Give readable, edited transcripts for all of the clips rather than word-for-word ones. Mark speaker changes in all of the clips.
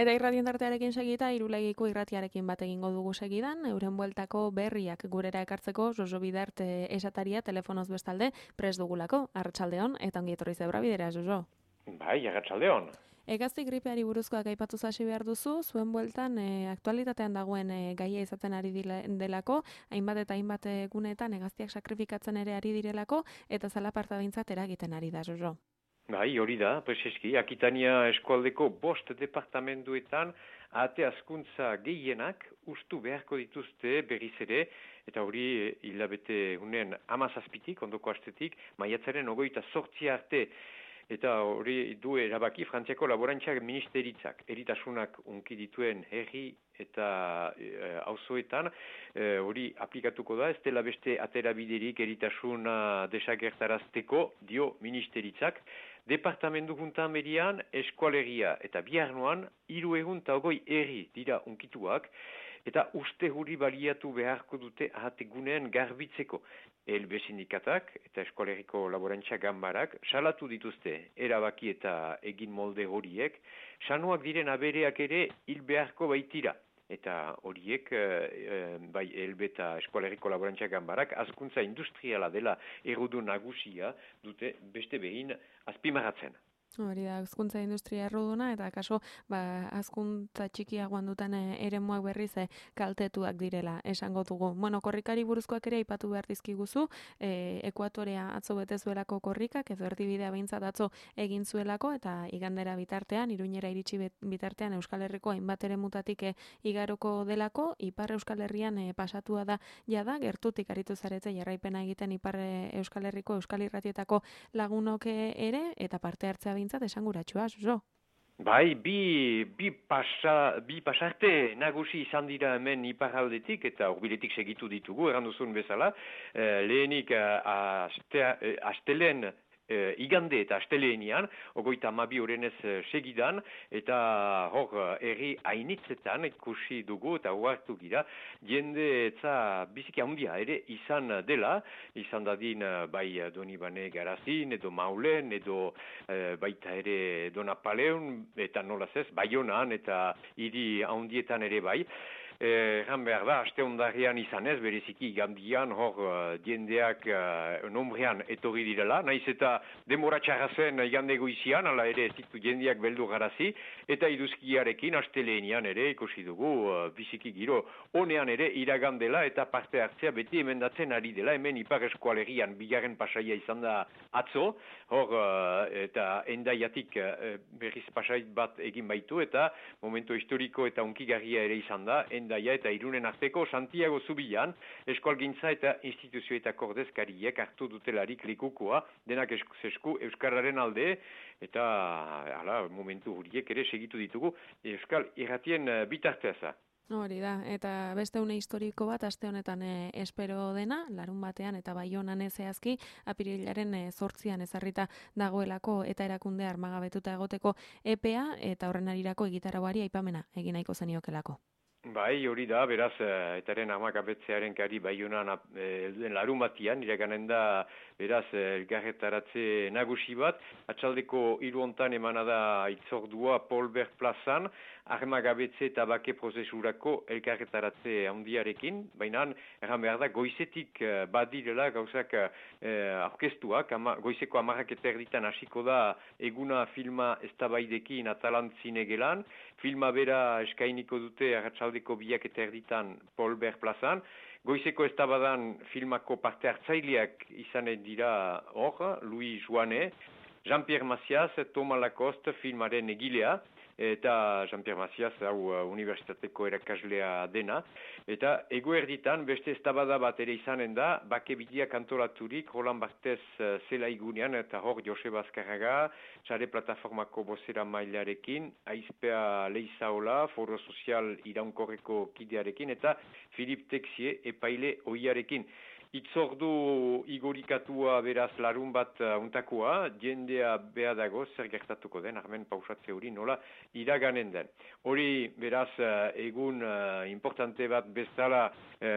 Speaker 1: Eta irratien tartearekin segita, Irulegiko irratiarekin bat egingo dugu segidan, euren bueltako berriak gurera ekartzeko Josu Bidart esataria telefonoz bestalde pres dugulako, arratsaldeon eta ongi etorri zebra bidera, Josu.
Speaker 2: Bai, arratsaldeon.
Speaker 1: Hegazti gripeari buruzkoak aipatu hasi behar duzu, zuen bueltan aktualitatean dagoen gaia izaten ari delako, hainbat eta hainbat guneetan hegaztiak sakrifikatzen ere ari direlako, eta zalaparta behintzat eragiten ari da, Josu.
Speaker 2: Bai, hori da, prezeski, Akitania eskualdeko 5 departamentuetan ate hazkuntza gehienak ustu beharko dituzte berriz ere, eta hori hilabete unen 17tik, ondoko astetik, maiatzaren 28 arte, eta hori du erabaki Frantziako laborantzak ministeritzak, eritasunak unki dituen herri eta auzoetan hori aplikatuko da, ez dela beste aterabiderik eritasuna desagertarazteko, dio ministeritzak. Departamentu juntan berian, eskualegia eta biharnoan, 320 herri dira unkituak, eta uste huri baliatu beharko dute ahategunean garbitzeko. ELB sindikatak eta eskualeriko laborantza ganbarak salatu dituzte erabaki eta egin molde horiek, sanuak diren abereak ere hil beharko baitira. Eta horiek, bai, ELB eta eskualeriko laborantza ganbarak, hazkuntza industriala dela errudu nagusia dute beste behin azpimarratzen.
Speaker 1: Hori da, hazkuntza industria erruduna, eta kaso, hazkuntza txikiagoan duten eremuak berriz kaltetuak direla, esango dugu. Bueno, korrikari buruzkoak ere aipatu behar dizkiguzu, Ekuatorea atzo betezuelako korrikak, edo erdibidea behintzat atzo egin zuelako, eta igandera bitartean, Iruñera iritsi bitartean Euskal Herriko hainbat eremutatik igaroko delako, Ipar Euskal Herrian pasatua da jada, gertutik aritu zarete jarraipena egiten Ipar Euskal Herriko Euskal Irratietako lagunok ere, eta parte hartzea bintzat esanguratsua, Josu.
Speaker 2: Bai, bi pasarte nagusi izan dira hemen iparraldetik eta hurbiletik segitu ditugu, erranduzun bezala. Lehenik astelen igande eta asteleenian, 32 horrenez segidan, eta hor herri hainitzetan ikusi dugu eta huartu gira, jende etza biziki handia ere izan dela, izan dadin bai Donibane Garazin, edo Maulen, edo baita ere Donapaleun, eta nolaz ez, Baionan eta hiri handietan ere bai. Egan behar da, aste ondarian izan ez, bereziki gandian, hor jendeak nombrean etorri direla, naiz eta demora txarrazen igande goizian, ala ere ez ditu jendeak beldu garazi, eta iduzkiarekin astelehenian ere ikusi dugu biziki giro honean ere iragandela eta parte hartzea beti emendatzen ari dela, hemen Ipar Eskualerian bigarren pasaia izan da atzo, hor eta endaiatik berriz pasait bat egin baitu, eta momento historiko eta unkigarria ere izan da, Endaia eta Irunen arteko Santiago Zubian, eskualgintza eta instituzioetako ordezkariek hartu dutelarik likukoa, denak esku Euskararen alde, eta momentu horiek ere segitu ditugu Euskal Irratien bitarteza.
Speaker 1: Hori da, eta beste une historiko bat aste honetan espero dena, larun batean eta Baionan zehazki, apirilaren 8an ezarrita dagoelako eta erakunde armagabetuta egoteko EPEA eta horren arirako egitarauari aipamena egin nahiko zeniokelako.
Speaker 2: Bai, hori da, beraz, etaren armakabetzearen kari Baionan larun batian, iraganen da, beraz, elkarretaratze nagusi bat, atxaldeko 3 hontan emana da itzordua Polbert plazan, armakabetze eta bake prozesurako elkarretaratze handiarekin, baina, erran behar da, goizetik badirela gauzak aurkeztuak, goizeko 10 erditan hasiko da eguna filma eztabaidekin Atalantzinege gelan, filma bera eskainiko dute arratsaldeko 2 erditan Polbert plazan, goizeko eztabadan filmako parte hartzaileak izanen dira hor, Louis Joane, Jean-Pierre Macias, Thomas Lacoste filmaren egilea, eta Jean-Pierre Macias hau unibertsitateko erakaslea dena, eta eguerditan beste eztabada bat ere izanen da, bake bideak antolaturik Roland Barthez zelaigunean, eta hor Joseba Azkarraga, sare plataformako bozera mailarekin, Aizpea Leizaola, Foro Sozial Iraunkorreko kidearekin, eta Philippe Texier epaile oiarekin. Itzordu igorikatua beraz larun bat untakoa, jendea beha dago zer gertatuko den, armen pausatze hori nola iraganen den. Hori beraz egun importante bat bezala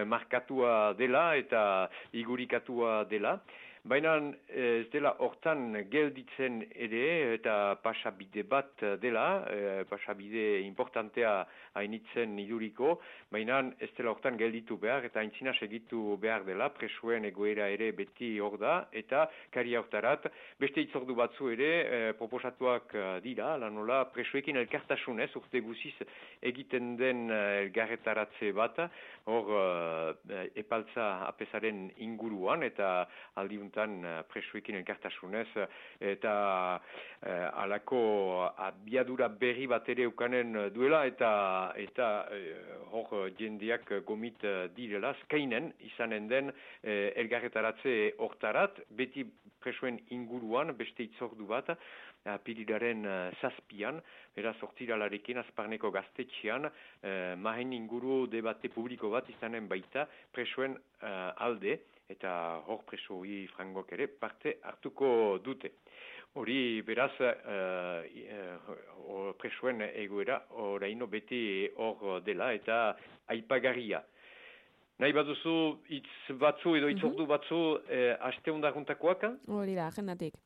Speaker 2: markatua dela eta igorikatua dela. baina ez dela hortan gelditzen ere, eta pasabide bat dela, pasabide importantea hainitzen iduriko, baina ez dela hortan gelditu behar, eta aintzina segitu behar dela, presoen egoera ere beti hor da, eta kari hortarat, beste itzordu batzu ere proposatuak dira, lanola presoekin elkartasunez, urte guziz egiten den elgarretaratze bat, hor epaltza apesaren inguruan, eta aldiuntan presoekin elkartasunez, eta alako abiadura berri bat ere ukanen duela, eta hor jendeak gomit direla, skainen izanen den elgarretaratze hortarat, beti presoen inguruan, beste itzordu bat, apirilaren zazpian, beraz hortiralarekin azparneko gaztetxean, mahen inguru debate publiko bat izanen baita presoen alde, eta hor presoi frangok ere parte hartuko dute. Hori beraz presoen egoera oraino beti hor dela eta aipagarria. Nahi baduzu hitz batzu edo itzordu batzu aste hundaruntakoak?
Speaker 1: Hori da, agendatik.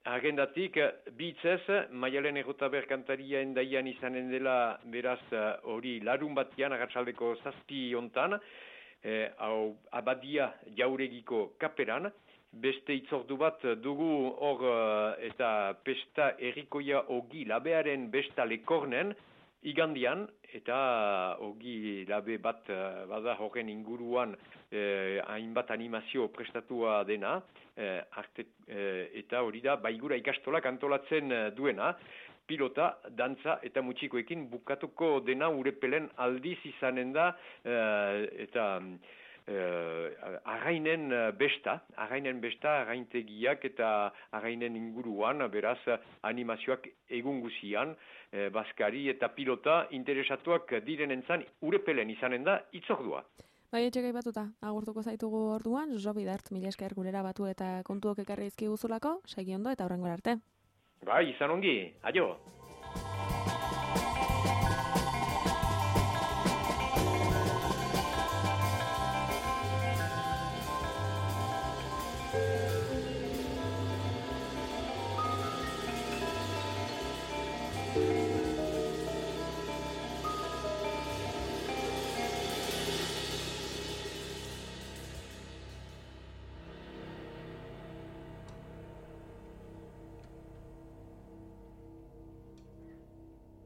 Speaker 2: Agendatik, bitzez, Maialen Errotaber kantaria endaian izanen dela, beraz, hori larun batian, agatzaldeko zazpi hontan, hau abadia jauregiko kaperan, beste itzordu bat dugu hor eta pesta errikoia ogi labearen besta lekornen, igandian, eta ogi labe bat bada horren inguruan hainbat animazio prestatua dena, eta hori da baigura ikastolak antolatzen duena, pilota, dantza eta mutxikoekin bukatuko dena urepelen aldiz izanen da, eta arrainen besta, arraintegiak eta arrainen inguruan, beraz animazioak egun guzian, baskari eta pilota interesatuak direnentzan urepelen izanen da itzordua.
Speaker 1: Bai, etxegai batuta, agurtuko zaitugu orduan, Josu Bidart, mila esker gurera batu eta kontuok ekarri izkiguzulako, segi ondo eta hurrengora arte.
Speaker 2: Bai, izan ongi, aio!